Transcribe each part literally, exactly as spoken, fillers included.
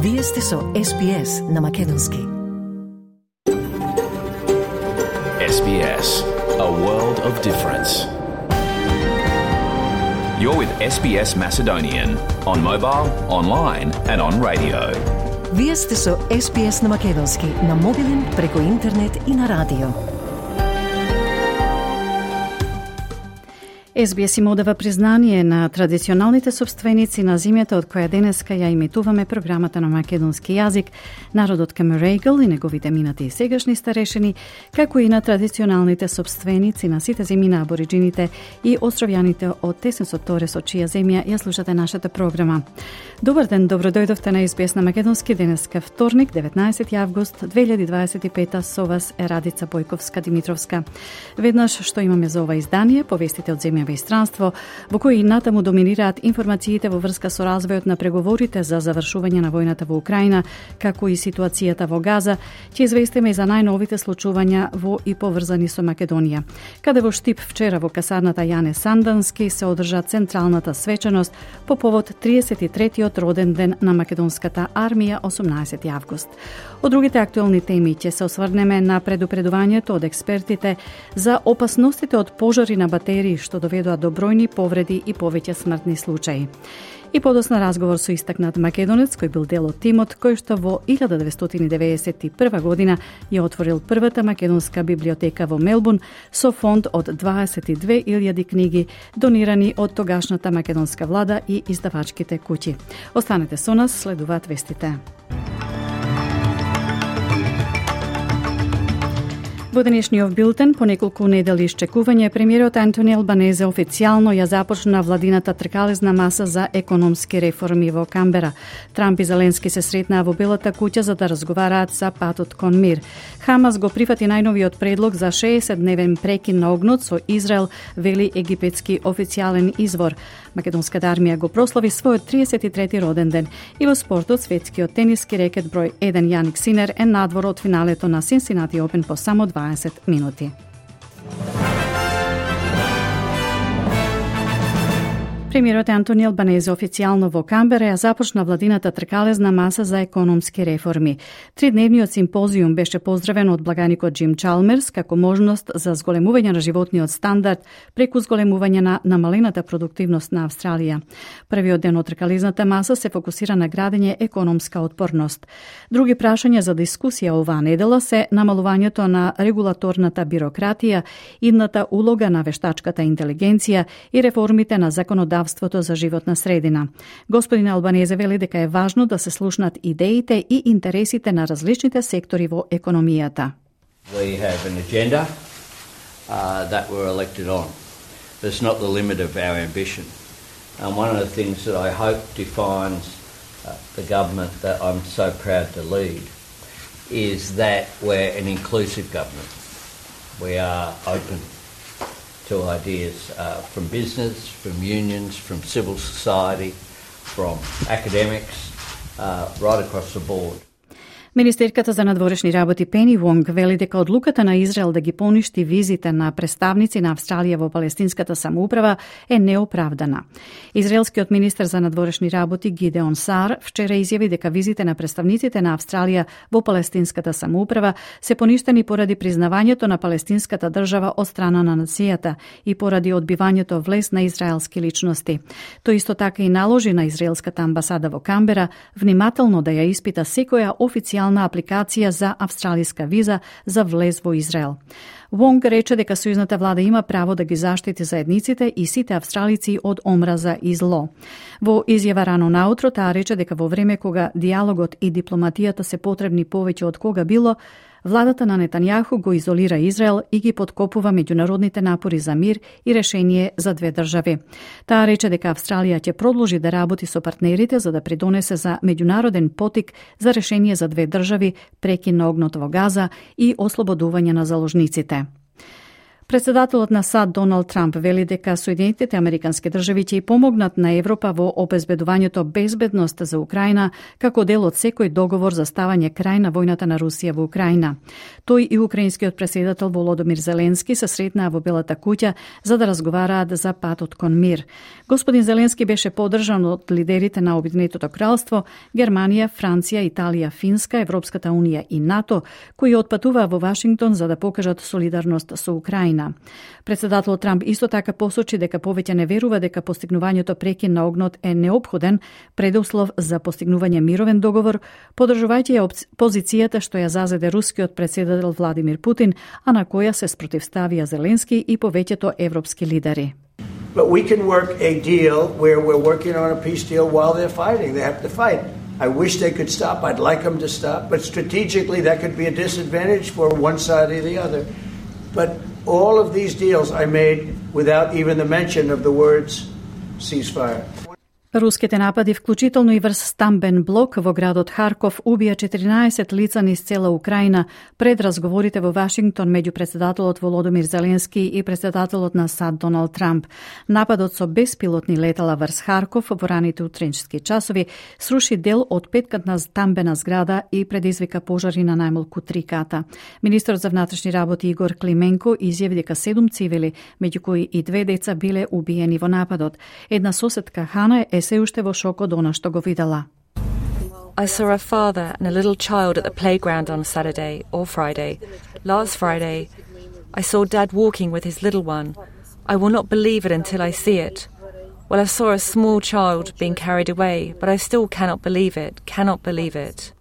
Вие сте со Ес Би Ес на македонски. Ес Би Ес, a world of difference. You're with Ес Би Ес Macedonian on mobile, online and on radio. Вие сте со Ес Би Ес на македонски, на мобилен, преку интернет и на радио. Ес Би Ес им одава признание на традиционалните собственици на земјата од која денеска ја имитуваме програмата на македонски јазик, народот Камерегл и неговите минати и сегашни старешини, како и на традиционалните собственици на сите земји на абориджините и островјаните од Тесенсот Торе со чија земја ја слушате нашата програма. Добар ден, добро дојдовте на Ес Би Ес на македонски. Денеска вторник, деветнаесети август две илјади дваесет и пета, со вас е Радица Бојковска-Димитровска. Веднаш што имаме за ова издание, повестите од земја и странство, во кои натаму доминираат информациите во врска со развојот на преговорите за завршување на војната во Украина, како и ситуацијата во Газа, ќе известиме и за најновите случувања во и поврзани со Македонија. Каде во Штип вчера во касарната Јане Сандански се одржа централната свечаност по повод триесет и третиот роден ден на македонската армија, осумнаесети август. Од другите актуелни теми ќе се осврнеме на предупредувањето од експертите за опасностите од пожари на батерии што доведоа до бројни повреди и повеќе смртни случаи. И подосна разговор со истакнат македонец кој бил дел од тимот кој што во илјада деветстотини деветдесет и прва година ја отворил првата македонска библиотека во Мелбурн со фонд од дваесет и две илјади книги донирани од тогашната македонска влада и издавачките куќи. Останете со нас, следуваат вестите. Во денешниот билтен, по неколку недели исчекување, премиерот Антони Албанезе официјално ја започна владината тркалезна маса за економски реформи во Камбера. Трамп и Зеленски се сретнаа во Белата куќа за да разговараат за патот кон мир. Хамас го прифати најновиот предлог за шеесетдневен прекин на огнот со Израел, вели египетски официјален извор. Македонската армија го прослави својот триесет и трети роден ден. И во спортот, светскиот тениски рекет број еден Јаник Синер е надвор од финалето на Cincinnati Open по само дваесет минути. Премиерот Антони Албанезе официјално во Камбера ја започна владината тркалезна маса за економски реформи. Тридневниот симпозиум беше поздравен од благаникот Джим Чалмерс како можност за зголемување на животниот стандард преку зголемување на намалената продуктивност на Австралија. Првиот ден од тркалезната маса се фокусира на градење економска отпорност. Други прашања за дискусија оваа недела се намалувањето на регулаторната бирократија, идната улога на вештачката интелигенција и реформите на законодавството за животна средина. Господин Албанезе вели дека е важно да се слушнат идеите и интересите на различните сектори во економијата. We have an agenda uh, that we're elected on. That's not the limit of our ambition. And one of the things that I hope defines uh, the government that I'm so proud to lead is that we're an inclusive government. We are open to ideas uh, from business, from unions, from civil society, from academics, uh, right across the board. Министерката за надворешни работи Пени Вонг вели дека одлуката на Израел да ги поништи визите на представници на Австралија во палестинската самоуправа е неоправдана. Израелскиот министер за надворешни работи Гидеон Саар вчера изјави дека визите на представниците на Австралија во палестинската самоуправа се поништени поради признавањето на палестинската држава од страна на нацијата и поради одбивањето влез на израелски личности. Тој исто така и наложи на израелската амбасада во Камбера внимателно да ја испита секоја официјална апликација за австралиска виза за влез во Израел. Вонг рече дека сојузната влада има право да ги заштити заедниците и сите австралици од омраза и зло. Во изјава рано наутро таа рече дека во време кога диалогот и дипломатијата се потребни повеќе од кога било, владата на Нетањаху го изолира Израел и ги подкопува меѓународните напори за мир и решение за две држави. Таа рече дека Австралија ќе продолжи да работи со партнерите за да придонесе за меѓународен потик за решение за две држави, прекин на огнот во Газа и ослободување на заложниците. Председателот на САД Доналд Трамп вели дека Соединетите американски држави ќе помогнат на Европа во обезбедувањето безбедност за Украина како дел од секој договор за ставање крај на војната на Русија во Украина. Тој и украинскиот претседател Володомир Зеленски се сретнаа во Белата куќа за да разговараат за патот кон мир. Господин Зеленски беше поддржан од лидерите на Обединетото кралство, Германија, Франција, Италија, Финска, Европската унија и НАТО, кои отпатуваа во Вашингтон за да покажат солидарност со Украина. Председателот Трамп исто така посочи дека повеќе не верува дека постигнувањето прекин на огнот е неопходен предуслов за постигнување мировен договор, поддржувајќи ја позицијата што ја зазеде рускиот претседател Владимир Путин, а на која се спротивставија Зеленски и повеќето европски лидери. But we can work a deal where we're working on a peace deal while they're fighting. They have to fight. I wish they could stop. I'd like them to stop. But strategically, that could be a disadvantage for one side or the other. But all of these deals I made without even the mention of the words ceasefire. Руските напади, вклучително и врз стамбен блок во градот Харков, убија четиринаесет лица низ цела Украина пред разговорите во Вашингтон меѓу председателот Володомир Зеленски и председателот на САД Доналд Трамп. Нападот со беспилотни летала врз Харков во раните утренчески часови сруши дел од петкатна стамбена зграда и предизвика пожари на најмалку три ката. Министерот за внатрешни работи Игор Клименко изјави дека седум цивили, меѓу кои и две деца, биле убиени во нападот. Една соседка Хана е се уште во шок од она што го видела. I saw a father and a little child at the playground on Saturday or Friday. Last Friday, I saw Dad walking with his little one. I will not believe it until I see it. Well, I saw a small child being carried away, but I still cannot believe it, cannot believe it.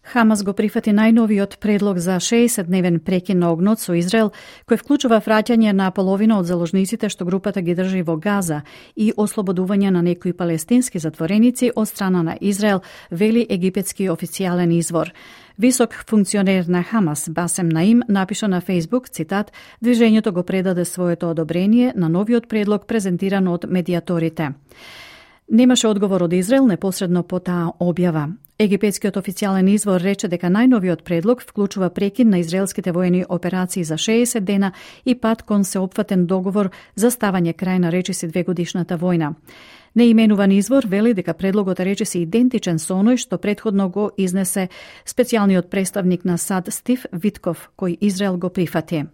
Хамас го прифати најновиот предлог за шеесетдневен прекин на огнот со Израел, кој вклучува враќање на половина од заложниците што групата ги држи во Газа и ослободување на некои палестински затвореници од страна на Израел, вели египетски официјален извор. Висок функционер на Хамас, Басем Наим, напиша на Фейсбук, цитат, движењето го предаде своето одобрение на новиот предлог презентиран од медиаторите. Немаше одговор од Израел непосредно по таа објава. Египетскиот официјален извор рече дека најновиот предлог вклучува прекин на израелските воени операции за шеесет дена и пат кон сеопфатен договор за ставање крај на речиси двегодишната војна. Неименуван извор вели дека предлогот е речиси идентичен со оној што претходно го изнесе специјалниот представник на САД Стив Витков, кој Израел го прифати.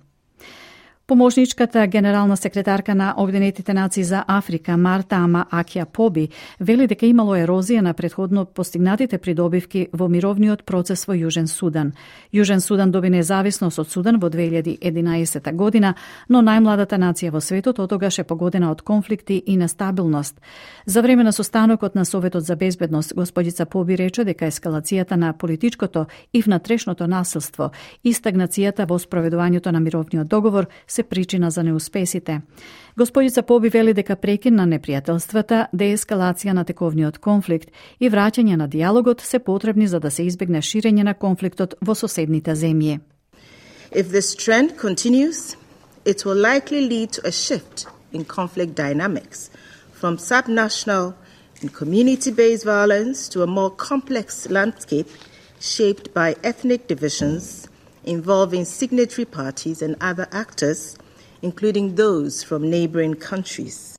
Помошничката генерална секретарка на Обединетите нации за Африка Марта Ама Акија Поби вели дека имало ерозија на претходно постигнатите придобивки во мировниот процес во Јужен Судан. Јужен Судан доби независност од Судан во две илјади и единаесета година, но најмладата нација во светот отогаш е погодена од конфликти и нестабилност. За време на состанокот на Советот за безбедност, господица Поби рече дека ескалацијата на политичкото и внатрешното насилство и стагнацијата во спроведувањето на мировниот договор се причина за неуспесите. Господица Поби вели дека прекин на непријателствата, деескалација на тековниот конфликт и враќање на диалогот се потребни за да се избегне ширење на конфликтот во соседните земји. If this trend continues, it will likely lead to a shift in conflict dynamics from subnational and community-based violence to a more complex landscape shaped by ethnic divisions involving signatory parties and other actors, including those from neighboring countries.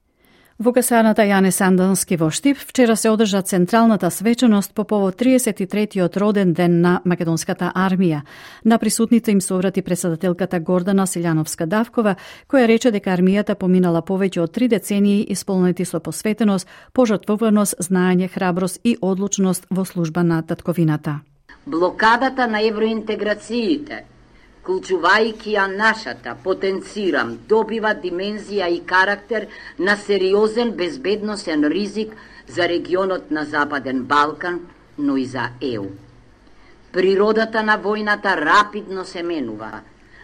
Во касарната Јане Сандански во Штип вчера се одржа централната свеченост по повод триесет и третиот роден ден на македонската армија. На присутните им се обрати председателката Гордана Силјановска-Давкова, која рече дека армијата поминала повеќе од три децении исполнети со посветеност, пожртвуваност, знаење, храброст и одлучност во служба на татковината. Блокадата на евроинтеграциите, вклучувајќи ја нашата, потенцирам, добива димензија и карактер на сериозен безбедносен ризик за регионот на Западен Балкан, но и за Е У. Природата на војната рапидно се менува,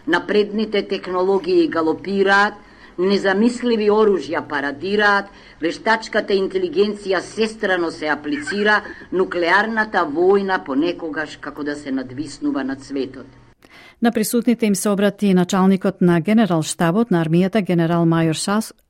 напредните технологии галопираат, незамисливи оружја парадираат, вештачката интелигенција сестрано се аплицира, нуклеарната војна понекогаш како да се надвиснува над светот. На присутните им се обрати началникот на генерал-штабот на армијата генерал мајор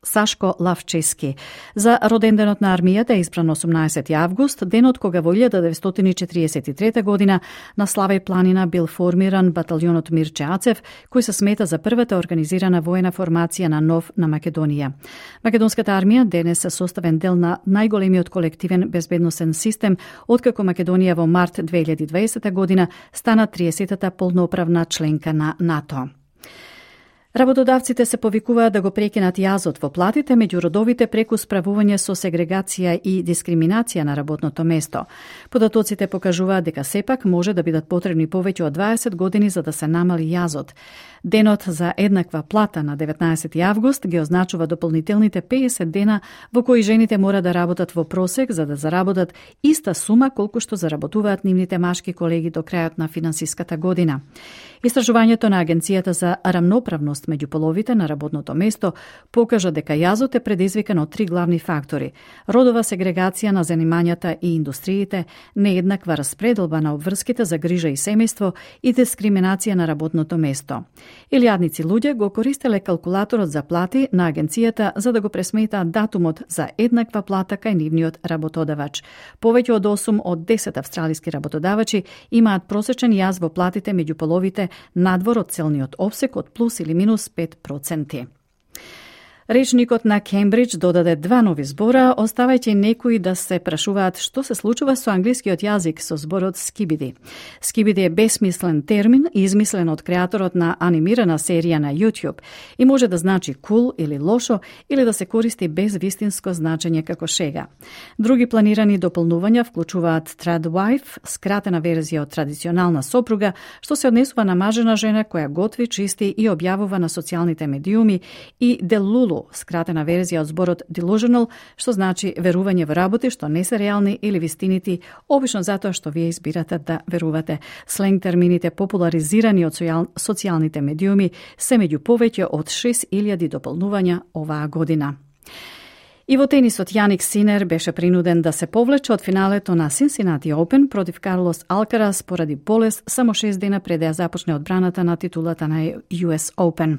Сашко Лавчески. За роденденот на армијата е избран осумнаесети август, денот кога во илјада деветстотини четириесет и трета година на Славеј планина бил формиран баталјонот Мирче Ацев, кој се смета за првата организирана воена формација на нов на Македонија. Македонската армија денес е составен дел на најголемиот колективен безбедносен систем, откако Македонија во март две илјади и дваесета година стана триесетата полноправна членка на НАТО. Работодавците се повикуваат да го прекинат јазот во платите меѓу родовите преку справување со сегрегација и дискриминација на работното место. Податоците покажуваат дека сепак може да бидат потребни повеќе од дваесет години за да се намали јазот. Денот за еднаква плата на деветнаесети август ги означува дополнителните пеесет дена во кои жените мора да работат во просек за да заработат иста сума колку што заработуваат нивните машки колеги до крајот на финансиската година. Истражувањето на Агенцијата за рамноправност меѓу половите на работното место покажа дека јазот е предизвикан од три главни фактори: родова сегрегација на занимањата и индустриите, нееднаква распределба на обврските за грижа и семејство и дискриминација на работното место. Илјадници луѓе го користеле калкулаторот за плати на агенцијата за да го пресметаат датумот за еднаква плата кај нивниот работодавач. Повеќе од осум од десет австралиски работодавачи имаат просечен јаз во платите меѓу половите надвор од целниот опсек од плюс или минус пет проценти. Речникот на Кембридж додаде два нови збора, оставајќи некои да се прашуваат што се случува со англискиот јазик со зборот скибиди. Скибиди е бесмислен термин, измислен од креаторот на анимирана серија на YouTube и може да значи кул или лошо или да се користи без вистинско значење како шега. Други планирани дополнувања вклучуваат tradwife, скратена верзија од традиционална сопруга, што се однесува на мажена жена која готви, чисти и објавува на социјалните медиуми, и делулу, скратена верзија од зборот delusional, што значи верување во работи што не се реални или вистинити, обично затоа што вие избирате да верувате. Сленг термините популаризирани од социјалните медиуми се меѓу повеќе од шест илјади дополнувања оваа година. И во тенисот Јаник Синер беше принуден да се повлече од финалето на Cincinnati Open против Карлос Алкарас поради болест само шест дена пред да ја започне одбраната на титулата на Ю Ес Open.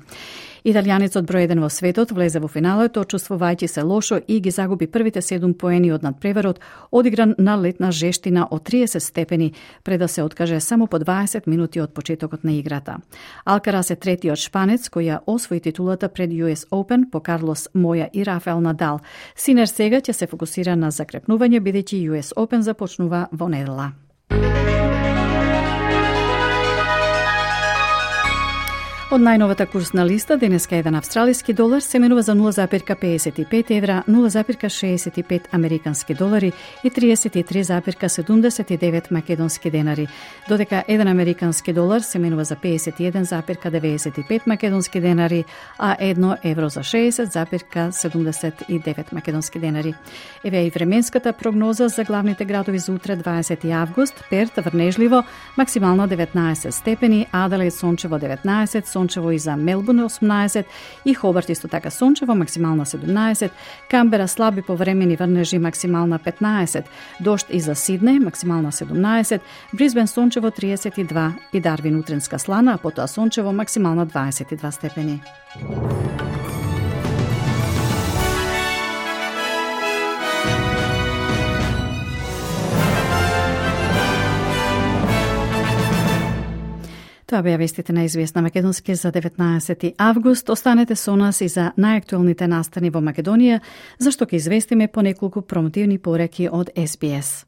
Италијанецот број еден во светот влезе во финалето, чувствувајќи се лошо и ги загуби првите седум поени од надпреварот, одигран на летна жештина од триесет степени, пред да се откаже само по дваесет минути од почетокот на играта. Алкарас е третиот шпанец кој ја освои титулата пред Ю Ес Open по Карлос Моја и Рафаел Надал. Синер сега ќе се фокусира на закрепнување, бидејќи Ю Ес Open започнува во недела. Од најновата курсна листа, денеска еден австралиски долар се менува за нула зарез педесет и пет евра, нула зарез шеесет и пет американски долари и триесет и три зарез седумдесет и девет македонски денари, додека еден американски долар се менува за педесет и еден зарез деветдесет и пет македонски денари, а едно евро за шеесет зарез седумдесет и девет македонски денари. Еве и временската прогноза за главните градови за утре, дваесети август: Перт врнежливо, максимално деветнаесет степени, Аделаид сончево деветнаесет, сончево и за Мелбурн осумнаесет, и Хобарт исто така сончево, максимална седумнаесет, Камбера слаби повремени врнежи, максимална петнаесет, дожд и за Сиднеј, максимална седумнаесет, Брисбен сончево триесет и два и Дарвин утренска слана, а потоа сончево, максимална дваесет и два степени. Тоа беа вестите на Ес Би Ес на македонски за деветнаесети август. Останете со нас и за најактуелните настани во Македонија, зашто ќе известиме по неколку промотивни пореки од Ес Би Ес.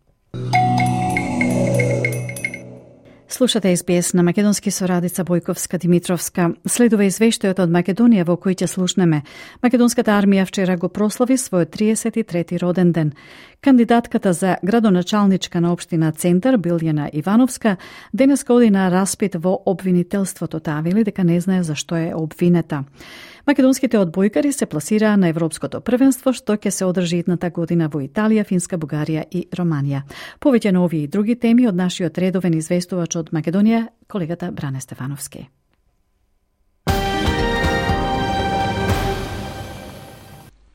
Слушате Ес Би Ес на македонски со Радица Бојковска-Димитровска. Следува извештајот од Македонија во кој ќе слушнеме. Македонската армија вчера го прослави својот триесет и трети роден ден. Кандидатката за градоначалничка на општина Центар, Билјана Ивановска, денеска оди на распит во обвинителството. Таа вели дека не знае зашто е обвинета. Македонските одбојкари се пласираа на Европското првенство, што ќе се одржи идната година во Италија, Финска, Бугарија и Романија. Повеќе на овие и други теми од нашиот редовен известувач од Македонија, колегата Бране Стефановски.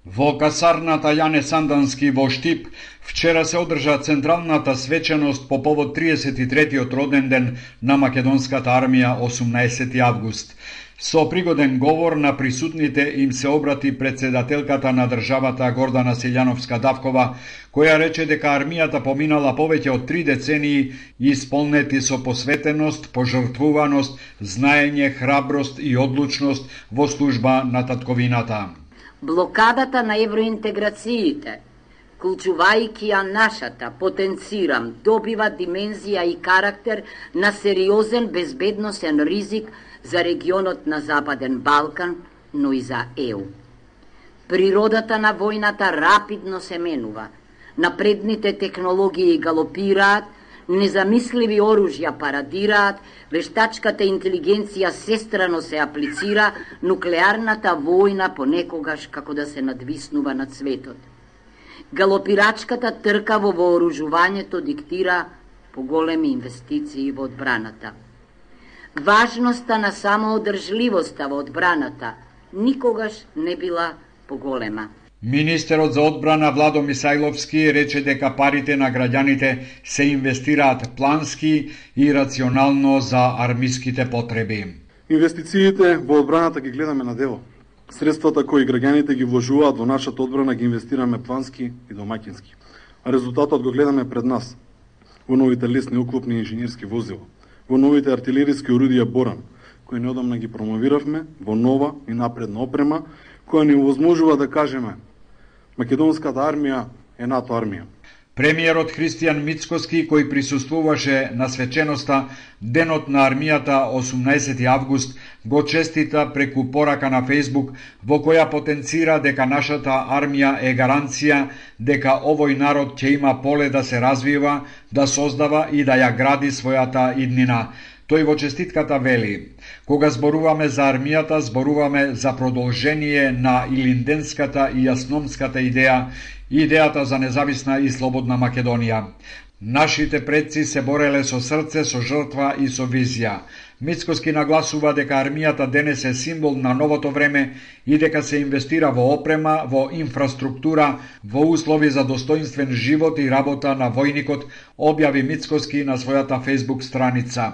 Во касарната Јане Сандански во Штип вчера се одржа централната свеченост по повод триесет и третиот роден ден на македонската армија осумнаесети август. Со пригоден говор на присутните им се обрати председателката на државата Гордана Силјановска-Давкова, која рече дека армијата поминала повеќе од три децении исполнети со посветеност, пожртвуваност, знаење, храброст и одлучност во служба на татковината. Блокадата на евроинтеграциите, клучувајќи ја нашата, потенцирам, добива димензија и карактер на сериозен безбедносен ризик за регионот на Западен Балкан, но и за Е У. Природата на војната рапидно се менува, напредните технологии галопираат, незамисливи оружја парадираат, вештачката интелигенција сестрано се аплицира, нуклеарната војна понекогаш како да се надвиснува над светот. Галопирачката трка во вооружувањето диктира поголеми инвестиции во одбраната. Важноста на самоодржливоста во одбраната никогаш не била поголема. Министерот за одбрана Владо Мисајловски рече дека парите на граѓаните се инвестираат плански и рационално за армиските потреби. Инвестициите во одбраната ги гледаме на дело. Средствата кои граѓаните ги вложуваат во нашата одбрана ги инвестираме плански и домаќински. А резултатот го гледаме пред нас. Во новите лесни оклопни инженерски возила, во новите артилериски орудија Боран, кои неодамна ги промовиравме во нова и напредна опрема, која ни овозможува да кажеме македонската армија е НАТО армија. Премиерот Христијан Мицкоски, кој присуствуваше на свеченоста Денот на армијата осумнаесети август, го честита преку порака на Фејсбук, во која потенцира дека нашата армија е гаранција дека овој народ ќе има поле да се развива, да создава и да ја гради својата иднина. Тој во честитката вели: кога зборуваме за армијата, зборуваме за продолжение на илинденската и јасномската идеја, идејата за независна и слободна Македонија. Нашите предци се бореле со срце, со жртва и со визија. Мицкоски нагласува дека армијата денес е символ на новото време и дека се инвестира во опрема, во инфраструктура, во услови за достоинствен живот и работа на војникот, објави Мицкоски на својата Facebook страница.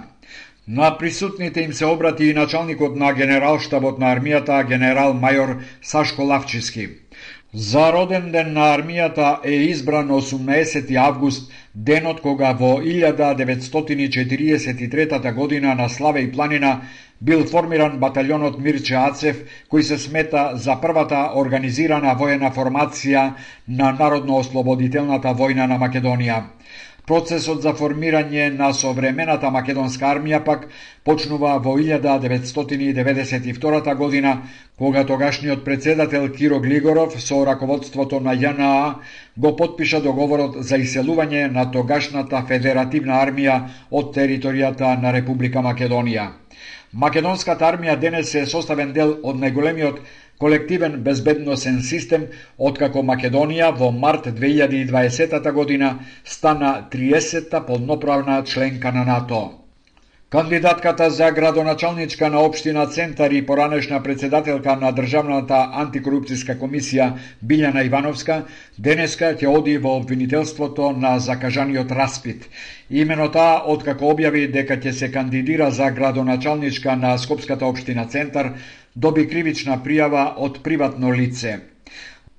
На присутните им се обрати и началникот на генералштабот на армијата, генерал мајор Сашко Лавчиски. За роден ден на армијата е избран осумнаесети август, денот кога во илјада деветстотини четириесет и трета година на Славеј планина бил формиран баталјонот Мирче Ацев, кој се смета за првата организирана воена формација на Народно-ослободителната војна на Македонија. Процесот за формирање на современата македонска армија пак почнува во илјада деветстотини деветдесет и втора година, кога тогашниот председател Киро Глигоров со раководството на Ја Н А го потпиша договорот за иселување на тогашната федеративна армија од територијата на Република Македонија. Македонската армија денес е составен дел од најголемиот колективен безбедносен систем, откако Македонија во март две илјади и дваесета година стана триесетта полноправна членка на НАТО. Кандидатката за градоначалничка на општина Центар и поранешна председателка на Државната антикорупцијска комисија Билјана Ивановска денеска ќе оди во обвинителството на закажаниот распит. Имено таа, откако објави дека ќе се кандидира за градоначалничка на Скопската општина Центар, доби кривична пријава од приватно лице.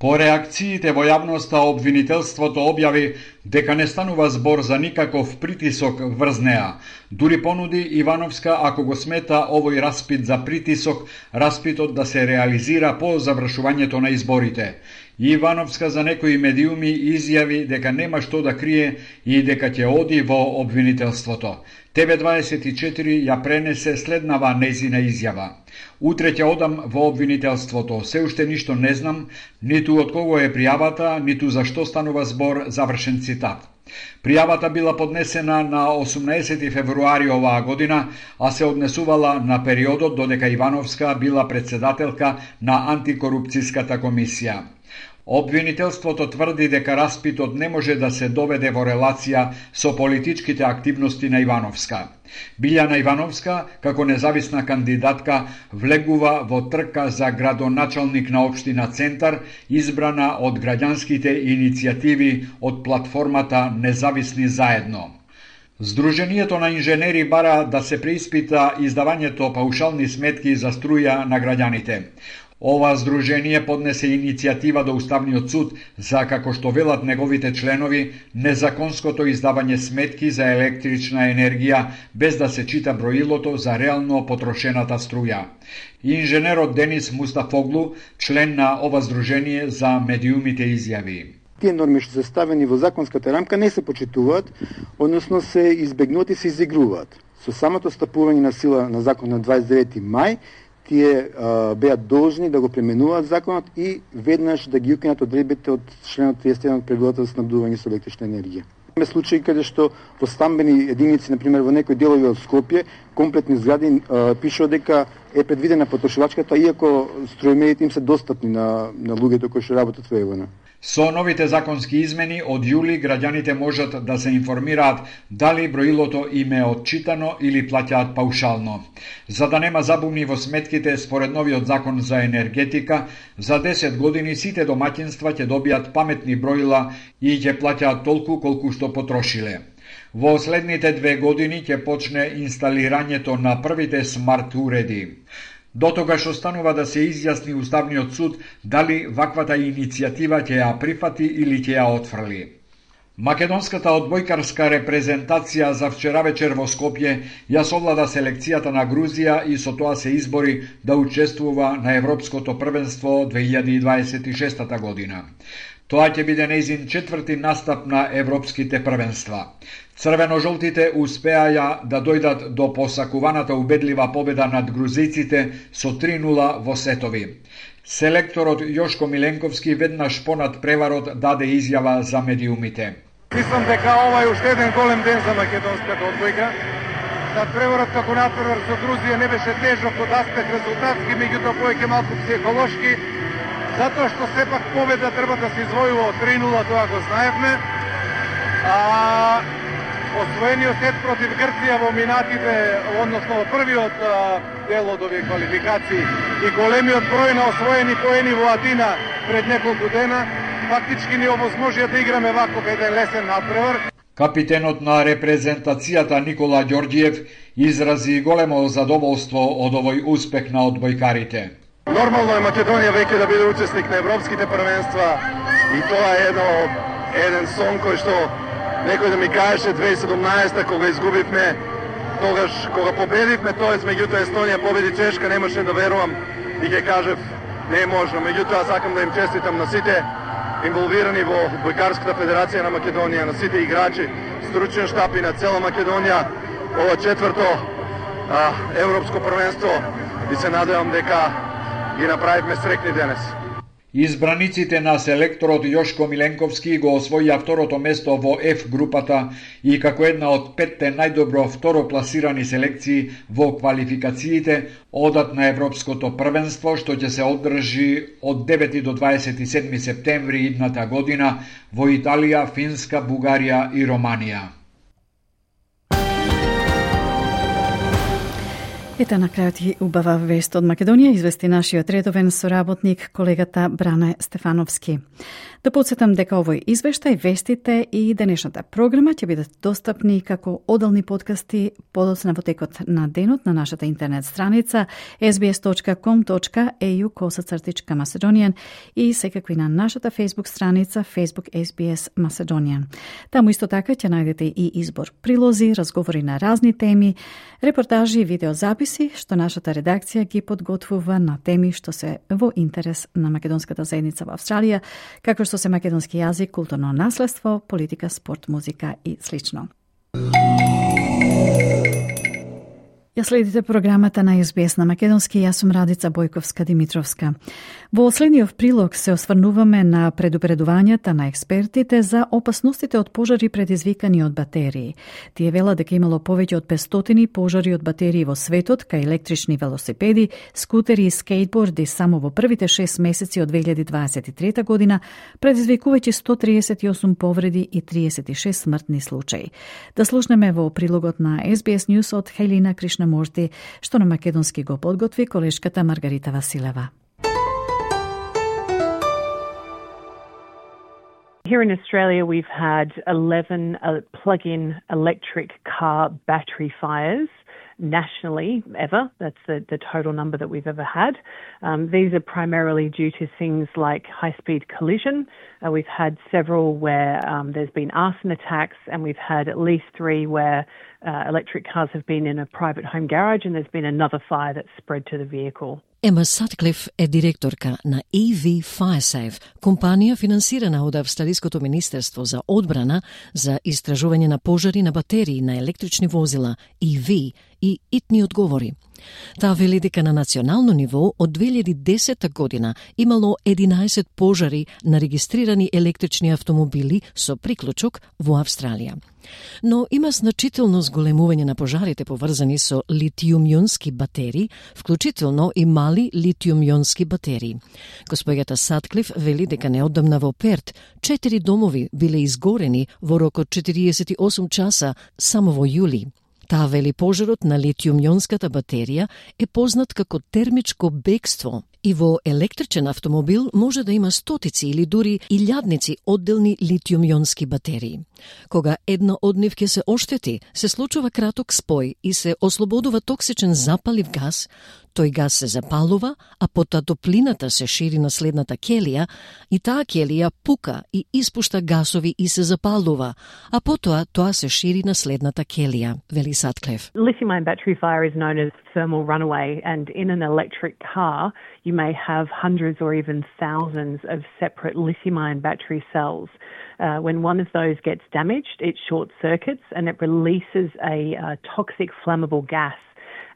По реакциите во јавноста, обвинителството објави дека не станува збор за никаков притисок врз неа. Дури понуди Ивановска, ако го смета овој распит за притисок, распитот да се реализира по завршувањето на изборите. Ивановска за некои медиуми изјави дека нема што да крие и дека ќе оди во обвинителството. Т В дваесет и четири ја пренесе следнава нејзина изјава. Утре ќе одам во обвинителството. Се уште ништо не знам, ниту од кого е пријавата, ниту за што станува збор, завршен цитат. Пријавата била поднесена на осумнаесети февруари оваа година, а се однесувала на периодот додека Ивановска била председателка на антикорупцијската комисија. Обвинителството тврди дека распитот не може да се доведе во релација со политичките активности на Ивановска. Билјана Ивановска, како независна кандидатка, влегува во трка за градоначалник на општина Центар, избрана од граѓанските иницијативи од платформата Независни заедно. Сдруженијето на инженери бара да се преиспита издавањето паушални сметки за струја на граѓаните. Ова сдружение поднесе иницијатива до Уставниот суд за, како што велат неговите членови, незаконското издавање сметки за електрична енергија без да се чита броилото за реално потрошената струја. Инженерот Денис Мустафоглу, член на ова сдружение, за медиумите изјави: Тие норми што се ставени во законската рамка не се почитуваат, односно се избегнуваат и се изигруваат. Со самото стапување на сила на закон на дваесет и девети мај, тие а, беа должни да го пременуваат законот и веднаш да ги укинат одредбите од членот триесет и еден од правилата за снабдување со електрична енергија. Има случаи каде што во стамбени единици, например во некои делови од Скопје, комплетни згради а, пишува дека е предвидена потрошувачката, иако струјмерите им се достапни на, на луѓето кои што работат во Евона. Со новите законски измени од јули граѓаните можат да се информираат дали броилото им е отчитано или плаќаат паушално. За да нема забуни во сметките, според новиот закон за енергетика, за десет години сите домаќинства ќе добијат паметни броила и ќе плаќаат толку колку што потрошиле. Во следните две години ќе почне инсталирањето на првите смарт уреди. До тогаш останува да се изјасни Уставниот суд дали ваквата иницијатива ќе ја прифати или ќе ја отфрли. Македонската одбојкарска репрезентација за вчера вечер во Скопје ја совлада селекцијата на Грузија и со тоа се избори да учествува на Европското првенство две илјади и дваесет и шеста година. Тоа ќе биде нејзин четврти настап на европските првенства. Црвено-жолтите успеаја да дојдат до посакуваната убедлива победа над грузиците со три нула во сетови. Селекторот Јошко Миленковски веднаш понад преварот даде изјава за медиумите. Мислам дека ова е уште еден голем ден за македонската одбојка. Над преварот како натпревар со Грузија не беше тежок од аспект резултатски, меѓутоа повеќе малку психолошки, затоа што сепак победа треба да се извојува од три нула, тоа го знаевме. А освоениот сет против Грција во минатите, односно во првиот а, дел од овие квалификации и големиот број на освоени поени во Атина пред неколку дена, фактички ни овозможија да играме вако еден лесен надпревар. Капитенот на репрезентацијата Никола Ѓорѓиев изрази големо задоволство од овој успех на одбојкарите. Нормално е Македонија веќе да биде учесник на европските првенства и тоа е едно, еден сон кој што некој да ми кажеше две илјади и седумнаесета кога изгубивме, тогаш кога победивме, тоест меѓутоа Естонија победи Чешка, немаше да верувам и ќе кажев не е можно. Меѓутоа сакам да им честитам на сите инволвирани во Одбојкарската федерација на Македонија, на сите играчи, стручен штаб и на цела Македонија, ова четврто а, европско првенство и се надевам дека ги направивме срекни денес. Избраниците на селекторот Јошко Миленковски го освоија второто место во F групата и како една од петте најдобро второ пласирани селекции во квалификациите одат на Европското првенство, што ќе се одржи од девети до дваесет и седми септември идната година во Италија, Финска, Бугарија и Романија. Ете на крајот и убава вест од Македонија, извести нашиот редовен соработник, колегата Бране Стефановски. Да подсетам дека овој извештај, вестите и денешната програма ќе бидат достапни како одделни подкасти подоцна во текот на денот на нашата интернет страница ес би ес точка ком точка ей ю косацртичка Macedonian и секако и на нашата Facebook страница Facebook ес би ес Macedonian. Таму исто така ќе најдете и избор прилози, разговори на разни теми, репортажи и видеозаписи што нашата редакција ги подготвува на теми што се во интерес на македонската заедница во Австралија, како што се македонски јазик, културно наследство, политика, спорт, музика и слично. Ја следите програмата на Ес Би Ес на македонски, јас сум Радица Бојковска-Димитровска. Во следниот прилог се осврнуваме на предупредувањата на експертите за опасностите од пожари предизвикани од батерии. Тие велат дека имало повеќе од петстотини пожари од батерии во светот, кај електрични велосипеди, скутери и скейтборди само во првите шест месеци од две илјади дваесет и трета година, предизвикувајќи сто триесет и осум повреди и триесет и шест смртни случаи. Да слушнеме во прилогот на Ес Би Ес News од Хелина Кришнамурти, што на македонски го подготви колешката Маргарита Василева. Here in Australia, we've had eleven uh, plug-in electric car battery fires nationally ever. That's the, the total number that we've ever had. Um, these are primarily due to things like high-speed collision. Uh, we've had several where um, there's been arson attacks, and we've had at least three where uh, electric cars have been in a private home garage and there's been another fire that's spread to the vehicle. Ема Сатклиф е директорка на и ви Firesafe, компанија финансирана од Австралиското министерство за одбрана за истражување на пожари на батерии на електрични возила и ви и итни одговори. Таа вели дека на национално ниво од две илјади и десета година имало единаесет пожари на регистрирани електрични автомобили со приклучок во Австралија. Но има значително зголемување на пожарите поврзани со литиум-јонски батерии, вклучително и мали литиум-јонски батерии. Госпоѓата Сатклиф вели дека неодамна во Перт четири домови биле изгорени во рок од четириесет и осум часа само во јули. Таа вели пожарот на литиум-јонската батерија е познат како термичко бегство и во електричен автомобил може да има стотици или дури илјадници одделни литиум-јонски батерии. Кога една од нив ќе се оштети, се случува краток спој и се ослободува токсичен запалив газ. Тој газ се запалува, а потоа топлината се шири на следната келија и таа келија пука и испушта гасови и се запалува, а потоа тоа се шири на следната келија, вели Сатклиф. Lithium-ion battery fire is known as thermal runaway, and in an electric car you may have hundreds or even thousands of separate lithium-ion battery cells. Uh, when one of those gets damaged, it short circuits and it releases a uh, toxic flammable gas.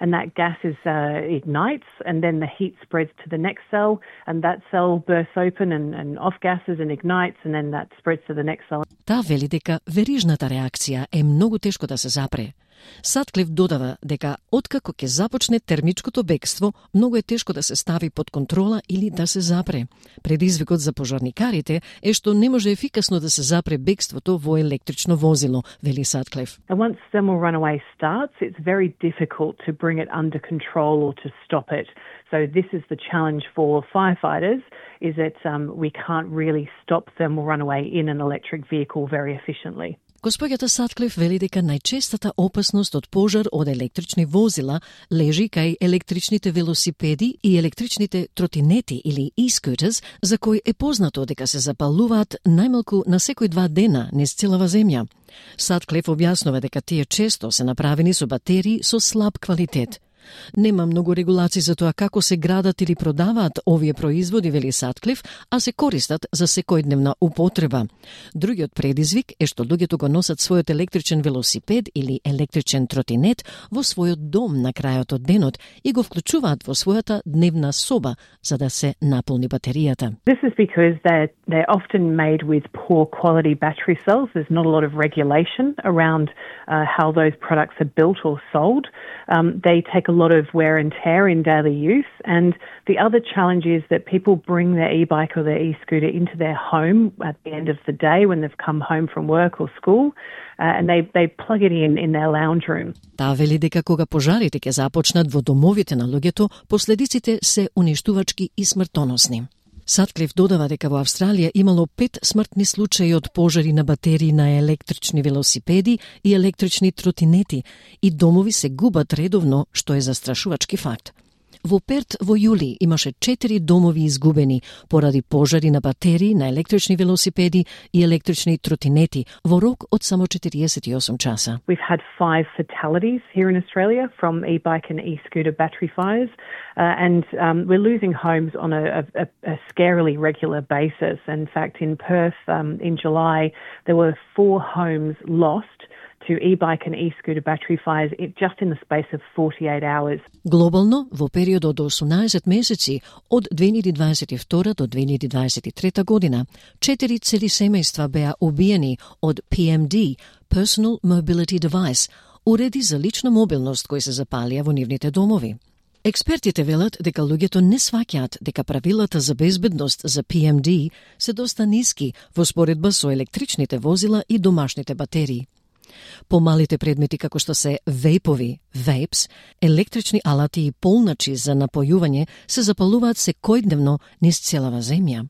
And that gas is uh, ignites, and then the heat spreads to the next cell, and that cell bursts open and, and off gases and ignites, and then that spreads to the next cell. Таа вели дека верижната реакција е многу тешко да се запре. Сатклиф додава дека откако ќе започне термичкото бегство, многу е тешко да се стави под контрола или да се запре. Предизвикот за пожарникарите е што не може ефикасно да се запре бегството во електрично возило, вели Сатклиф. And once thermal runaway starts, it's very difficult to bring it under control or to stop it. So this is the challenge for firefighters, is that um, we can't really stop thermal runaway in an electric vehicle very efficiently. Госпоѓата Сатклиф вели дека најчестата опасност од пожар од електрични возила лежи кај електричните велосипеди и електричните тротинети или e-scooters, за кои е познато дека се запалуваат најмалку на секој два дена низ целава земја. Сатклиф објаснува дека тие често се направени со батерии со слаб квалитет. Нема многу регулации за тоа како се градат или продаваат овие производи, вели Сатклиф, а се користат за секојдневна употреба. Другиот предизвик е што луѓето го носат својот електричен велосипед или електричен тротинет во својот дом на крајот од денот и го вклучуваат во својата дневна соба за да се наполни батеријата. This is because they're, they're often made with poor quality battery cells. There's not a lot of regulation around uh, how those products are built or sold. Um, they take a lot of wear and tear in daily use, and the other challenge is that people bring their e-bike or their e-scooter into their home at the end of the day when they've come home from work or school, uh, and they, they plug it in in their lounge room. Таа вели дека кога пожарите ќе започнат во домовите на луѓето, последиците се уништувачки и смртоносни. Сатклиф додава дека во Австралија имало пет смртни случаи од пожари на батерии на електрични велосипеди и електрични тротинети и домови се губат редовно, што е застрашувачки факт. Во Перт во јули имаше четири домови изгубени поради пожари на батерии на електрични велосипеди и електрични тротинети во рок од само четириесет и осум часа. We've had five fatalities here in Australia from e-bike and e-scooter battery fires, uh, and um, we're losing homes on a, a, a scarily regular basis. In fact, in Perth um, in July, there were four homes lost to e-bike and e-scooter battery fires just in the space of forty-eight hours. Глобално, во период од осумнаесет месеци, од две илјади дваесет и втора до две илјади дваесет и трета година, четири цели семејства беа убиени од P M D, Personal Mobility Device, уреди за лична мобилност кои се запалија во нивните домови. Експертите велат дека луѓето не сваќаат дека правилата за безбедност за P M D се доста ниски во споредба со електричните возила и домашните батерии. Помалите предмети како што се вейпови, vapes, електрични алати и полначи за напојување се запалуваат секојдневно низ целава земја.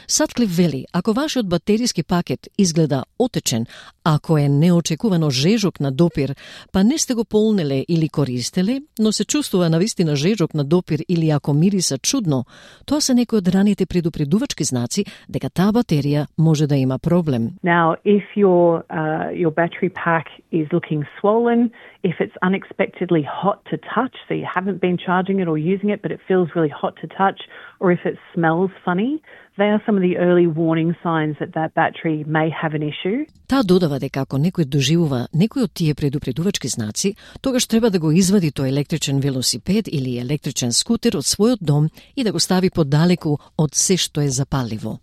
Сатклиф вели, ако вашиот батериски пакет изгледа отечен, ако е неочекувано жежок на допир, па не сте го полнеле или користеле, но се чувствува навистина жежок на допир или ако мириса чудно, тоа се некои од раните предупредувачки знаци дека таа батерија може да има проблем. Now, if your uh, your battery pack is looking swollen, if it's unexpectedly hot to touch, so you haven't been charging it or using it, but it feels really hot to touch, or if it smells funny, they are some of the early warning signs that that battery may have an issue. Таа додава дека ако некој доживува некој од тие предупредувачки знаци, тогаш треба да го извади тој електричен велосипед или електричен скутер од својот дом и да го стави подалеку од се што е запаливо.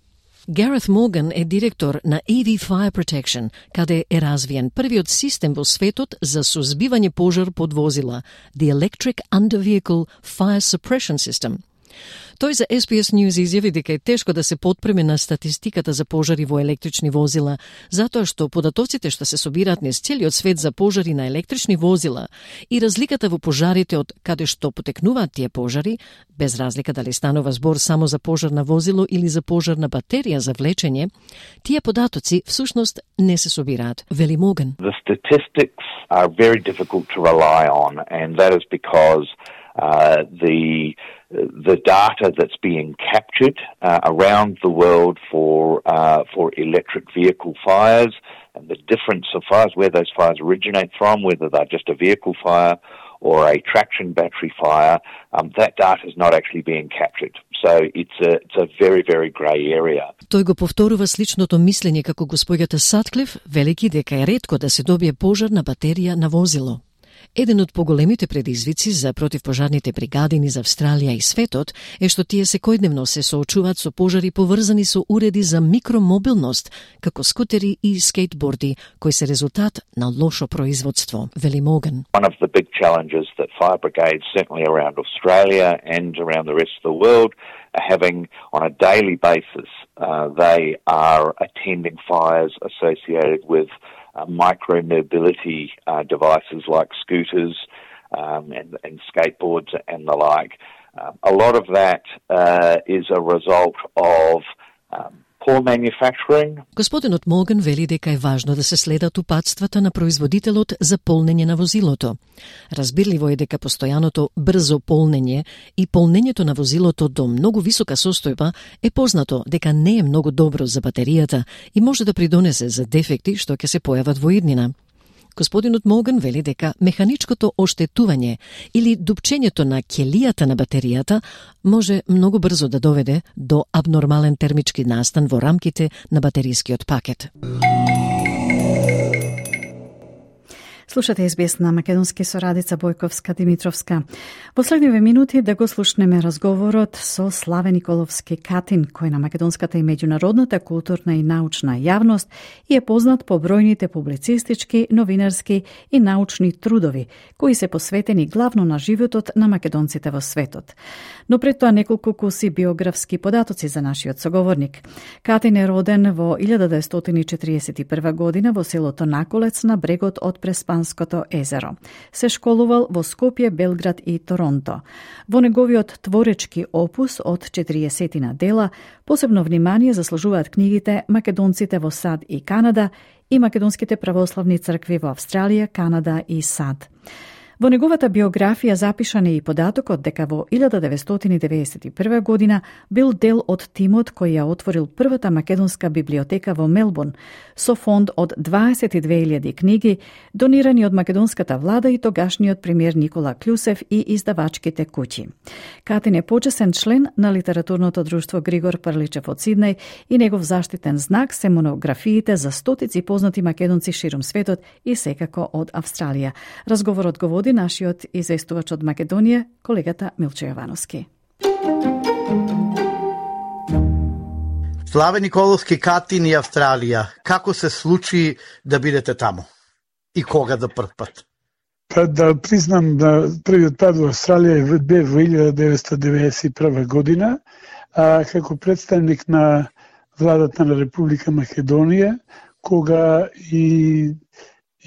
Гарет Морган е директор на E V Fire Protection, каде е развиен првиот систем во светот за сузбивање пожар под возила, the Electric Under-Vehicle Fire Suppression System. Тој за S B S News изјави дека е тешко да се потпреме на статистиката за пожари во електрични возила, затоа што податоците што се собираат низ целиот свет за пожари на електрични возила и разликата во пожарите од каде што потекнуваат тие пожари, без разлика дали станува збор само за пожар на возило или за пожар на батерија за влечење, тие податоци всушност не се собираат, вели Морган. The statistics are very difficult to rely on, and that is because uh, the the data that's being captured uh, around the world for uh, for electric vehicle fires and the difference of fires, where those fires originate from, whether they're just a vehicle fire or a traction battery fire, um, that data is not actually being captured. So it's a, it's a very, very grey area. Тој го повторува сличното мислење како госпоѓата Сатклиф, велики дека е ретко да се добие пожар на батерија на возило. Еден од поголемите предизвици за противпожарните бригади низ Австралија и светот е што тие секојдневно се соочуваат со пожари поврзани со уреди за микромобилност, како скутери и скейтборди, кои се резултат на лошо производство, вели Морган. One of the big challenges that fire brigades, certainly around Australia and around the rest of the world, are having on a daily basis. Uh, they are attending fires associated with Uh, micro-mobility uh, devices like scooters um, and, and skateboards and the like. Uh, a lot of that uh, is a result of um, poor manufacturing. Господинот Морган вели дека е важно да се следат упатствата на производителот за полнење на возилото. Разбирливо е дека постојаното брзо полнење и полнењето на возилото до многу висока состојба е познато дека не е многу добро за батеријата и може да придонесе за дефекти што ќе се појават во иднина. Господинот Морган вели дека механичкото оштетување или дупчењето на ќелијата на батеријата може многу брзо да доведе до абнормален термички настан во рамките на батерискиот пакет. Слушате С Б С на македонски со Радица Бојковска-Димитровска. Во следниве минути да го слушнеме разговорот со Славе Николовски Катин, кој на македонската и меѓународната културна и научна јавност и е познат по бројните публицистички, новинарски и научни трудови, кои се посветени главно на животот на македонците во светот. Но пред тоа неколку куси биографски податоци за нашиот соговорник. Катин е роден во илјада деветстотини и четириесет и прва година во селото Наколец на брегот од Преспанското езеро. Се школувал во Скопје, Белград и Торонто. Во неговиот творечки опус од четириесетина дела посебно внимание заслужуваат книгите Македонците во САД и Канада и Македонските православни цркви во Австралија, Канада и САД. Во неговата биографија запишан е и податокот дека во илјада деветстотини деветдесет и прва година бил дел од тимот кој ја отворил првата македонска библиотека во Мелбурн со фонд од дваесет и две илјади книги донирани од македонската влада и тогашниот премиер Никола Клюсев и издавачките куќи. Катин е почесен член на литературното друштво Григор Прличев од Сиднеј и негов заштитен знак се монографиите за стотици познати македонци ширум светот и секако од Австралија. Разговорот го води нашиот известувач од Македонија, колегата Милчо Јовановски. Славе Николовски, Катин и Австралија. Како се случи да бидете таму? И кога за прв пат? Па да признам да првиот пат во Австралија бе во илјада деветстотини деветдесет и прва година, а како представник на владата на Република Македонија, кога и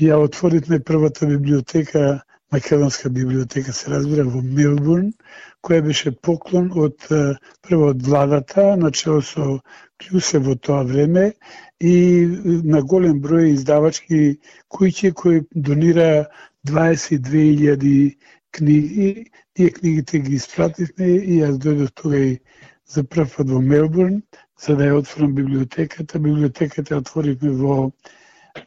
ја отворивме првата библиотека, македонска библиотека се разбира во Мелбурн, која беше поклон од прво од владата, начело со Клюсев во тоа време и на голем број издавачки куќи кои донира дваесет и две илјади книги. Тие книгите ги испративме и јас дојдов тога и за прв пат во Мелбурн, за да ја отворам библиотеката. Библиотеката отворивме во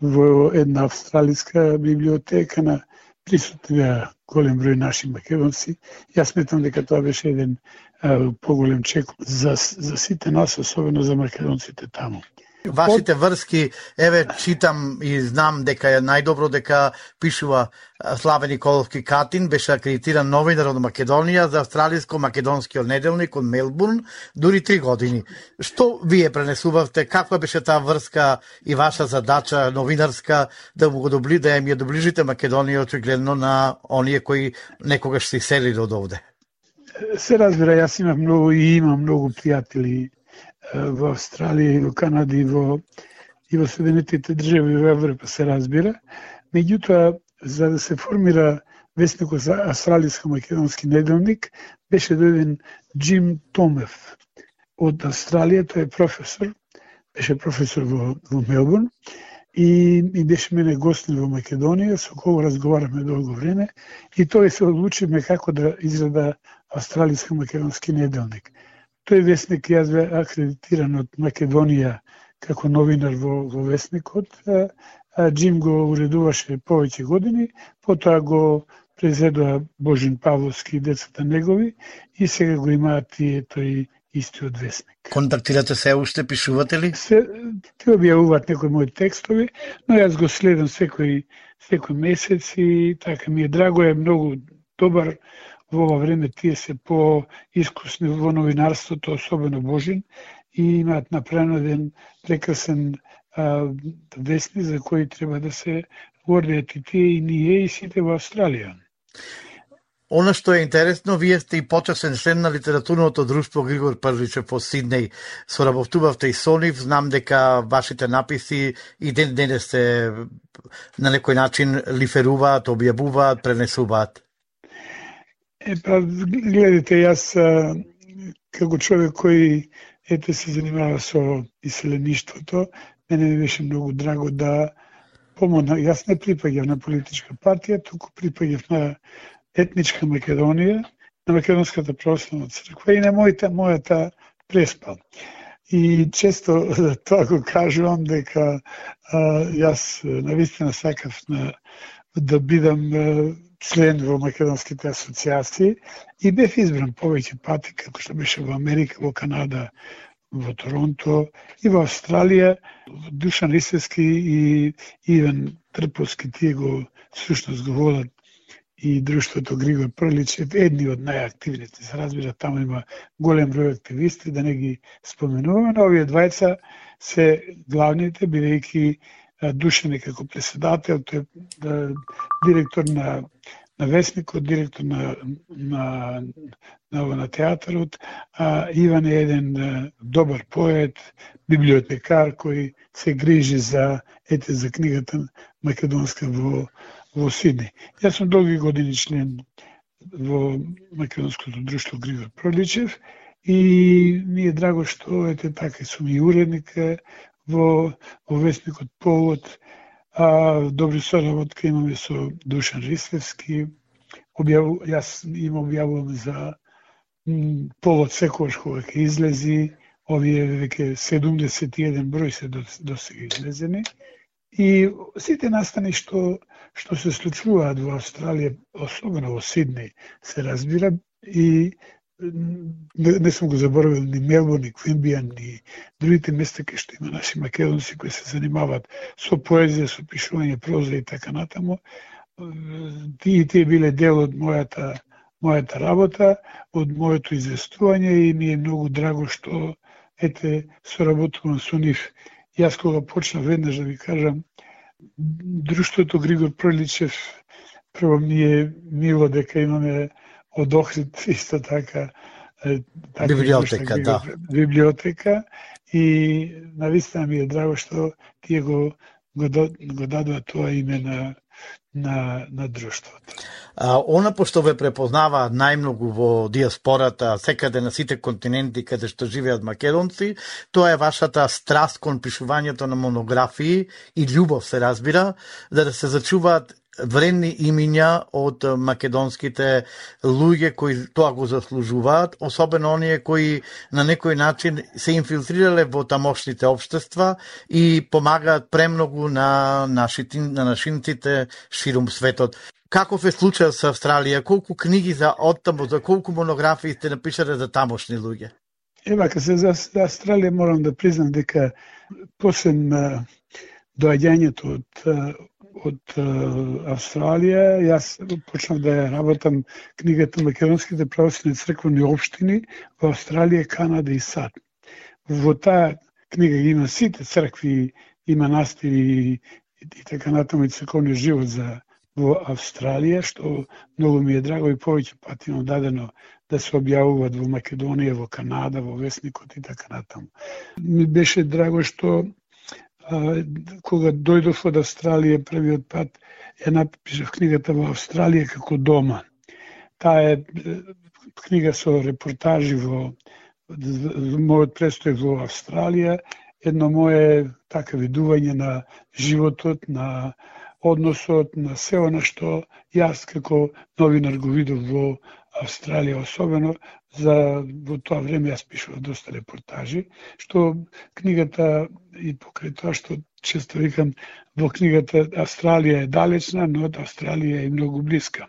во една австралиска библиотека на присутни голем број наши македонци. Јас сметам дека тоа беше еден а, поголем чек за, за сите нас, особено за македонците таму. Вашите врски, еве читам и знам дека е најдобро дека пишува Славе Николовски Катин, беше акредитиран новинар од Македонија за австралиско-македонскиот неделник од Мелбурн дури три години. Што вие пренесувавте, каква беше таа врска и ваша задача новинарска да го добли, да ја доближите Македонија очигледно на оние кои некогаш се селили од овде? Се разбира, јас имам многу и имам многу пријатели во Австралија и во Канада и во, и во Соединетите држави во Европа, се разбира. Меѓутоа, за да се формира весникот за австралиско-македонски неделник, беше дојден Джим Томев од Австралија, тој е професор, беше професор во, во Мелбурн и, и беше мене гостин во Македонија, со кого разговараме долго време и тој се одлучиме како да изгледа австралиско-македонски неделник. Тој весник јас бе акредитиран од Македонија како новинар во, во весникот, а, а Джим го уредуваше повеќе години, потоа го презедува Божин Павловски и децата негови и сега го имаат тие тој истиот весник. Контактирате се уште, пишувате ли? Се, те објавуваат некои мои текстови, но јас го следам секој, секој месец и така ми е драго, е многу добар. Во ова време тие се по-искусни во новинарството, особено Божин, и имаат направено еден прекрасен а, вестник за кој треба да се гордеат и тие и ние и сите во Австралија. Она што е интересно, вие сте и почесен член на литературното друштво Григор Прличев во Сиднеј. Соработувавте и со нив, знам дека вашите написи и ден денес се на некој начин лиферуваат, објавуваат, пренесуваат. Е, па, гледате, јас а, како човек кој ете се занимава со иселеништвото, мене ми беше многу драго да помогна. Јас не припаѓав на политичка партија, туку припаѓав на етничка Македонија, на Македонската православна црква и на мојата, мојата преспа. И често тоа го кажувам дека а, јас навистина сакав на, да бидам а, член во македонските асоциации и бев избран повеќе пати, како што беше во Америка, во Канада, во Торонто и во Австралија. Душан Ристевски и Иван Трповски, тие го всушност го водат и друштвото Григор Прличев, едни од најактивните. Се разбира, таму има голем број активисти, да не ги споменуваме, но овие двајца се главните, бидејќи Душан е како председател, тој е директор на, на весникот, директор на, на, на, на театарот, а Иван е еден добар поет, библиотекар кој се грижи за ете за книгата македонска во во Сиднеј. Јас сум долги години член во Македонското друштво Григор Прличев и ми е драго што ете така сум и уредник во, во весникот Повод, а добри соработка имаме со Душан Ристевски објаву, јас им објавувам за м, повод секојаш кога ќе излези, овие веќе седумдесет и еден број се до, до сега излезени. И сите настани што што се случуваат во Австралија, особено во Сиднеј, се разбира, и не, не сум го заборавил ни Мелбурн, ни Квинбијан, ни другите места кај што има наши македонци кои се занимаваат со поезија, со пишување проза и така натаму. Тие тие биле дел од мојата мојата работа, од моето известување, и ми е многу драго што ете соработувам со нив. Јас кога почнав, веднаш да ви кажам, друштвото Григор Проличев, прво ми е мило дека имаме од Охрид исто така, така библиотека, да. Библиотека, и навистина ми е драго што тие го го, го дадоа тоа име на на на друштвото. А, она пошто ве препознава најмногу во диаспората, секаде на сите континенти каде што живеат македонци, тоа е вашата страст кон пишувањето на монографии и љубов, се разбира, за да се зачуваат вредни имиња од македонските луѓе кои тоа го заслужуваат, особено оние кои на некој начин се инфилтрирале во тамошните општества и помагаат премногу на нашите на нашинците ширум светот. Каков е случајот со Австралија? Колку книги за оттаму, за колку монографии сте напишале за тамошни луѓе? Ева, ка се за Австралија морам да признам дека после доаѓањето од од Австралија, јас почнав да работам книгата Македонските православни црквени општини во Австралија, Канада и САД. Во таа книга има сите цркви, има настиви и, и така натаму и црковни живот за во Австралија, што многу ми е драго и повеќе пати имам дадено да се објавуваат во Македонија, во Канада, во Весникот и така натаму. Ми беше драго што а, кога дојдов од Австралија првиот пат, ја напишав книгата во Австралија како дома. Таа е книга со репортажи во мојот престој во Австралија, едно мое така видување на животот, на односот, на се она што јас како новинар го видов во Австралија, особено за во тоа време јас пишував доста репортажи, што книгата и покрај тоа што често викам, во книгата Австралија е далечна, но од Австралија е многу блиска.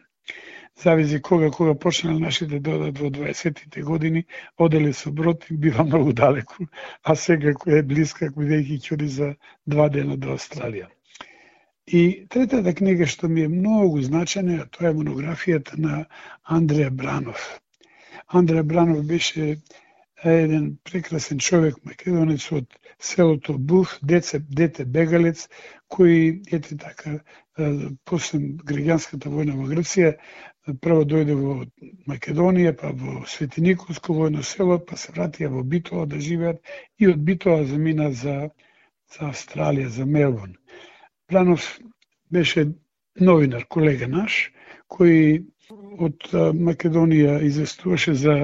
Зависи кога кога почнале нашите да одат во дваесеттите години, оделе со брод и бива многу далеку, а сега кој е блиска, бидејќи ќе оди за два дена до Австралија. И третата книга што ми е многу значајна, тоа е монографијата на Андреја Бранов. Андреја Бранов беше еден прекрасен човек, македонец од селото Буф, дете, дете бегалец, кој ете така после граѓанската војна во Грција прво дојде во Македонија, па во Свети Николско војно село, па се вратија во Битола да живеат и од Битола замина за за Австралија, за Мелбурн. Бранов беше новинар, колега наш, кој од Македонија известуваше за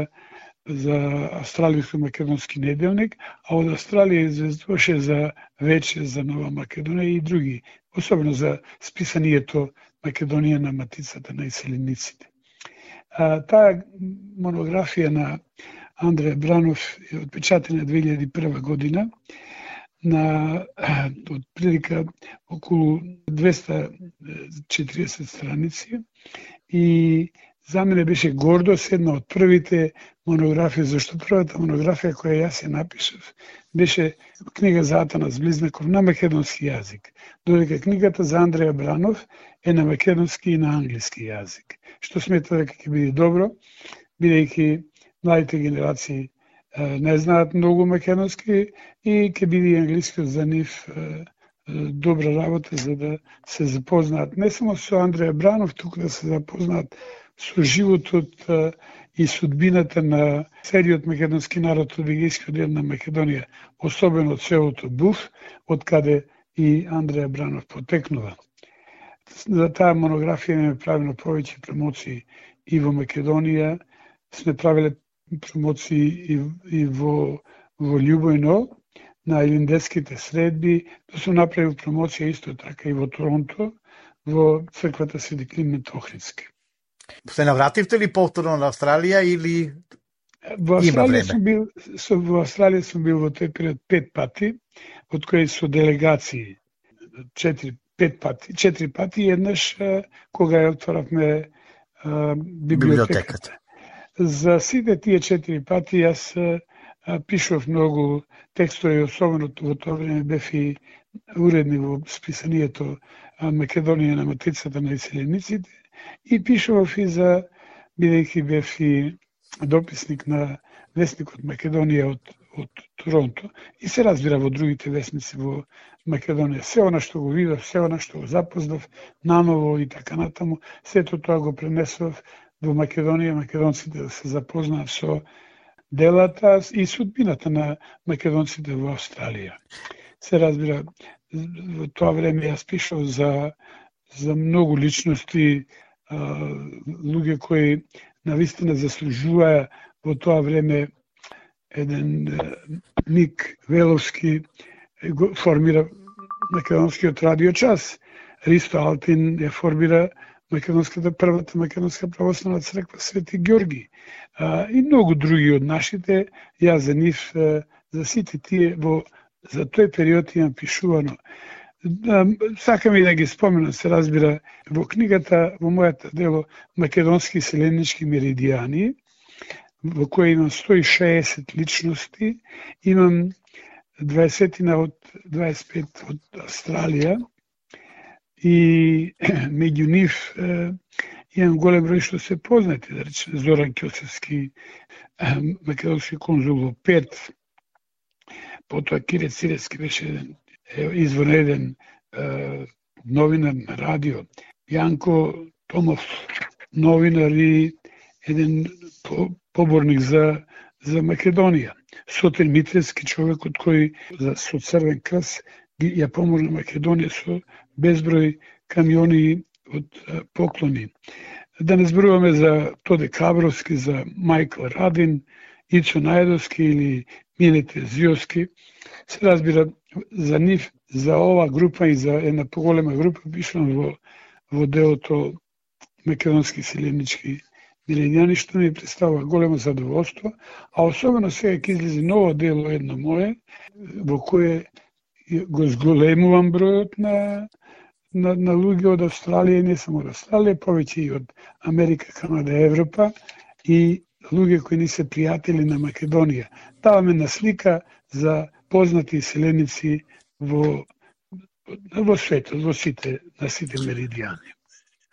за Австралијско-македонски неделник, а од Австралија известуваше за Вече, за Нова Македонија и други, особено за списанието Македонија на матицата на иселениците. А, таа монографија на Андреја Бранов е отпечатена две илјади и прва година, на од прилика околу двеста четиридесет страници, и за мене беше гордост, една од првите монографии, зашто првата монографија која јас ја напишав беше книга за Атанас Близнаков на македонски јазик, додека книгата за Андреја Бранов е на македонски и на англиски јазик, што смета дека ќе биде добро, бидејќи младите генерации не знаат многу македонски и ќе биде и англискиот за нив добра работа за да се запознаат не само со Андреја Бранов, туку да се запознаат со животот и судбината на целиот македонски народ од егејскиот дел на Македонија, особено од селото Буф, од каде и Андреја Бранов потекнува. За таа монографија не правено повеќе промоции и во Македонија, сме правиле промоции и, и во, во Љубојно, на илиндетските средби, да сум направил промоција исто така и во Торонто, во црквата Свети Климент Охридски. Се навративте ли повторно на Австралија или во има Австралија време? сум бил со во Австралија сум бил во тој период пет пати, од кои со делегации четири пет пати, четири пати еднаш кога ја отворавме библиотеката. За сите тие четири пати јас пишував многу текстови, особено во тоа време бев и уредник во списанието Македонија на матрицата на иселениците и пишував и за, бидејќи бев и дописник на весникот Македонија од, од Торонто и се разбира во другите весници во Македонија. Се она што го видов, се она што го запознав наново и така натаму, сето тоа го пренесов во Македонија, македонците да се запознаат со делата и судбината на македонците во Австралија. Се разбира, во тоа време јас пишав за, за многу личности, луѓе кои навистина заслужуваа во тоа време. Еден Ник Веловски формира македонскиот радиочас. Ристо Алтин ја формира македонската првата македонска православна црква Свети Ѓорги. И многу други од нашите, јас за нив, за сите тие во за тој период имам пишувано. Сакам и да ги споменам, се разбира, во книгата, во мојата дело Македонски селенички меридијани, во која имам сто и шеесет личности, имам дваесет од дваесет пет од Австралија и меѓу нив имам голем број што се познати, да речеме Зоран Ќосевски, македонски конзул во Перт, потоа Кире Циревски беше еден извонреден новинар на радио, Јанко Томов, новинар и еден поборник за, за Македонија. Сотир Митревски, човек од кој за, со Црвен крст ја помогна Македонија со безброј камиони од а, поклони. Да не зборуваме за Тоде Кабровски, за Мајкл Радин, Ицо Најдовски или Милете Зиовски. Се разбира, за нив, за ова група и за една поголема група пишувам во, во делото Македонски селенички меридијани, што ми представува големо задоволство, а особено сега ќе излезе ново дело едно мое, во кое го зголемувам бројот на, на, на луѓе од Австралија, не само од Австралија, повеќе и од Америка, Канада, Европа и луѓе кои ни се пријатели на Македонија. Даваме на слика за познати селеници во, во светот, во сите, на сите меридијани.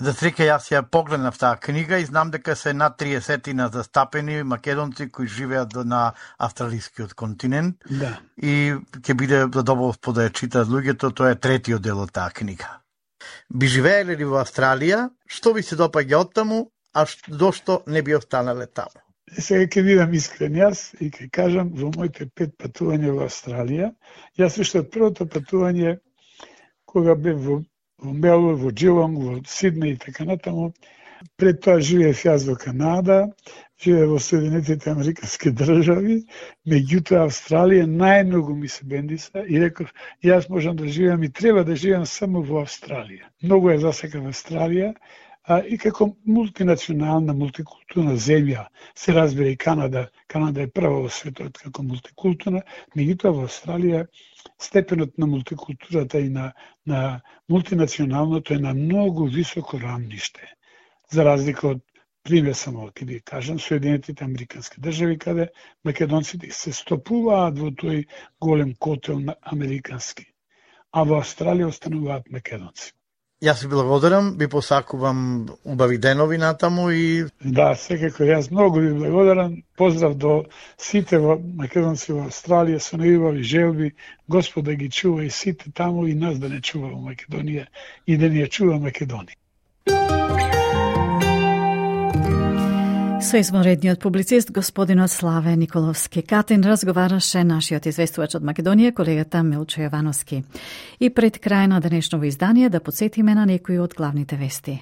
За среќа јас ја погледнав таа книга и знам дека се над триесетина застапени македонци кои живеат на австралискиот континент. Да. И ќе биде задоволство да ја читаат луѓето, тоа е третиот дел од таа книга. Би живееле ли во Австралија? Што ви се допаѓа од таму, а зошто не би останале таму? Сега ќе бидам искрен јас и ќе кажам во моите пет патувања во Австралија, јас уште од првото патување кога бев во во Мелбурн, во Джилонг, во Сиднеј и така натаму. Пред тоа живеев јас во Канада, живеев во Соединетите Американски држави, меѓутоа Австралија најмногу ми се бендиса и реков, јас можам да живеам и треба да живеам само во Австралија. Многу е засекав Австралија, а и како мултинационална, мултикултурна земја, се разбира и Канада, Канада е прва во светот како мултикултурна, меѓутоа во Австралија степенот на мултикултурата и на, на мултинационалното е на многу високо рамниште. За разлика од, пример само ќе ви кажам, Соединетите Американски држави, каде македонците се стопуваат во тој голем котел на американски, а во Австралија остануваат македонци. Јас ви благодарам, ви посакувам убави денови натаму и... Да, секако, јас многу ви благодарам. Поздрав до сите во македонци во Австралија, со најубави желби. Господ да ги чува и сите таму и нас да не чува во Македонија и да ни ја чува Македонија. Со извонредниот публицист господинот Славе Николовски Катин разговараше нашиот известувач од Македонија, колегата Милчо Јовановски. И пред крај на денешново издание да подсетиме на некои од главните вести.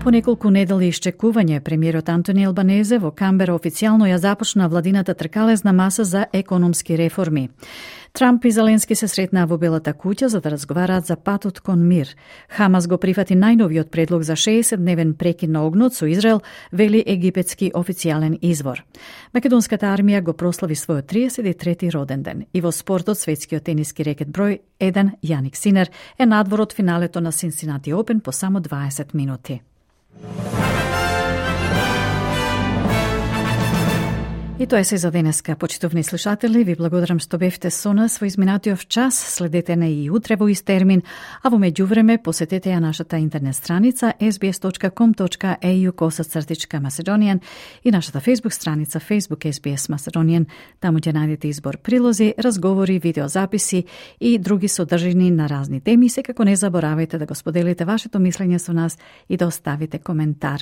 По неколку недели исчекување, премиерот Антони Албанезе во Камбера официјално ја започна владината тркалезна маса за економски реформи. Трамп и Зеленски се сретнаа во Белата куќа за да разговараат за патот кон мир. Хамас го прифати најновиот предлог за шеесетдневен прекин на огнот со Израел, вели египетски официјален извор. Македонската армија го прослави својот триесет и трети роден ден. И во спортот, светскиот тениски рекет број еден Јаник Синер е надвор од финалето на Cincinnati Open по само дваесет минути. И тоа е се за денеска, почитувани слушатели. Ви благодарам што бевте со нас во изминатиот час. Следете на и утре во ист термин, а во меѓувреме посетете ја нашата интернет страница ес би ес точка ком точка ей ю косацртичка Macedonian и нашата Facebook страница Facebook ес би ес Macedonian. Таму ќе најдете избор прилози, разговори, видеозаписи и други содржини на разни теми. Секако не заборавајте да го споделите вашето мислење со нас и да оставите коментар.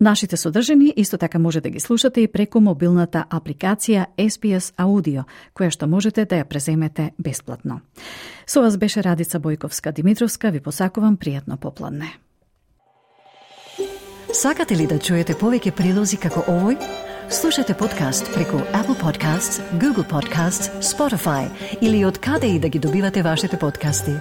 Нашите содржини исто така може да ги слушате и преку мобилната апликација ес би ес Audio, која што можете да ја преземете бесплатно. Со вас беше Радица Бојковска-Димитровска, ви посакувам пријатно попладне. Сакате ли да чуете повеќе прилози како овој? Слушате подкаст преку Apple Podcasts, Google Podcasts, Spotify или од каде и да ги добивате вашите подкасти.